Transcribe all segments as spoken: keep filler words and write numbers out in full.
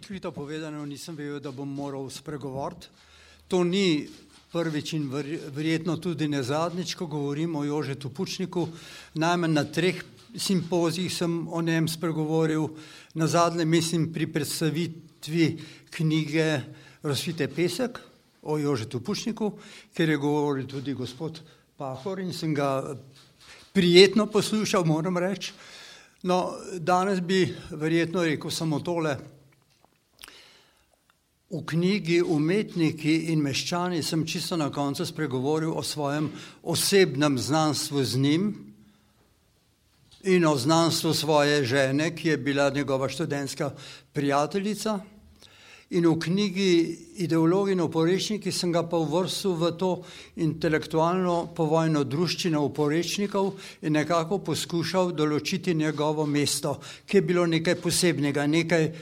Odkrito povedano, nisem vedel, da bom moral spregovoriti. To ni prvič in verjetno tudi ne zadnjič, ko govorim o Jožetu Pučniku. Najmanj na treh simpozijih sem o njem spregovoril. Na zadnje mislim pri predstavitvi knjige Rosvite pesek o Jožetu Pučniku, ker je govoril tudi gospod Pahor in sem ga prijetno poslušal, moram reči. No, danes bi verjetno rekel samo tole. V knjigi Umetniki in meščani sem čisto na koncu spregovoril o svojem osebnem znanstvu z njim in o znanstvu svoje žene, ki je bila njegova študentska prijateljica. In v knjigi Ideologi in oporečniki sem ga pa uvrstil v to intelektualno povojno druščino oporečnikov in nekako poskušal določiti njegovo mesto, ki je bilo nekaj posebnega, nekaj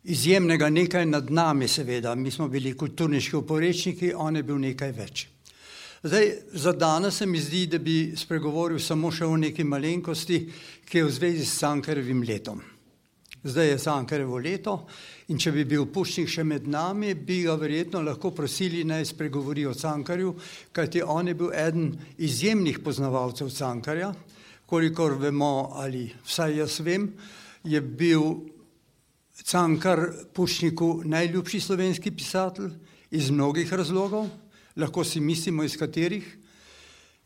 izjemnega, nekaj nad nami seveda. Mi smo bili kulturniški oporečniki, on je bil nekaj več. Zdaj, za danes se mi zdi, da bi spregovoril samo še o neki malenkosti, ki je v zvezi s Cankarjevim letom. Zdaj je Cankarjevo leto in če bi bil Pučnik še med nami, bi ga verjetno lahko prosili, naj spregovori o Cankarju, kajti on je bil eden izjemnih poznavalcev Cankarja. Kolikor vemo, ali vsaj jaz vem, je bil Cankar Pučniku najljubši slovenski pisatelj iz mnogih razlogov, lahko si mislimo iz katerih.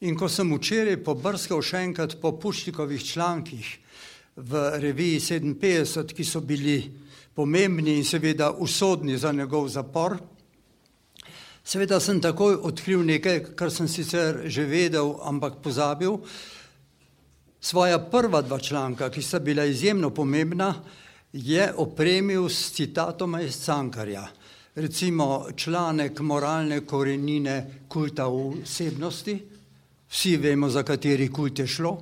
In ko sem včeraj pobrskal še enkrat po Pučnikovih člankih v reviji sedeminpetdeset, ki so bili pomembni in seveda usodni za njegov zapor, seveda sem takoj odkril nekaj, kar sem sicer že vedel, ampak pozabil. Svoja prva dva članka, ki sta bila izjemno pomembna, je opremil s citatoma iz Cankarja. Recimo članek Moralne korenine kulta osebnosti, vsi vemo, za kateri kult je šlo,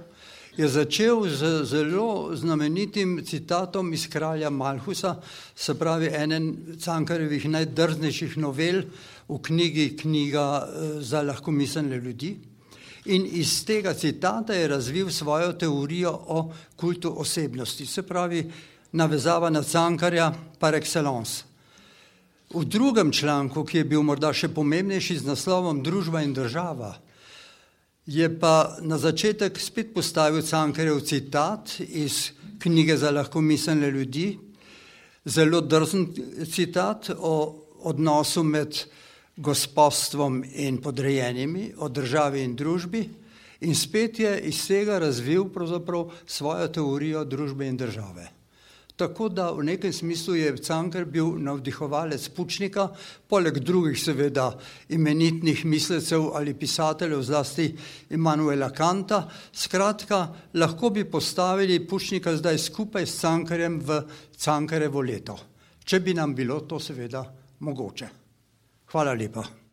je začel z zelo znamenitim citatom iz Kralja Malhusa, se pravi enen Cankarjevih najdrznejših novel v knjigi Knjiga za lahkomiselne ljudi. In iz tega citata je razvil svojo teorijo o kultu osebnosti, se pravi navezava na Cankarja par excellence. V drugem članku, ki je bil morda še pomembnejši z naslovom Družba in država, je pa na začetek spet postavil Cankarjev citat iz Knjige za lahkomiselne ljudi, zelo drzen citat o odnosu med gospodstvom in podrejenimi, o državi in družbi, in spet je iz tega razvil pravzaprav svojo teorijo družbe in države. Tako da v nekem smislu je Cankar bil navdihovalec Pučnika, poleg drugih seveda imenitnih mislecev ali pisateljev, zlasti Immanuela Kanta. Skratka, lahko bi postavili Pučnika zdaj skupaj s Cankarjem v Cankarjevo leto, če bi nam bilo to seveda mogoče. Hvala lepa.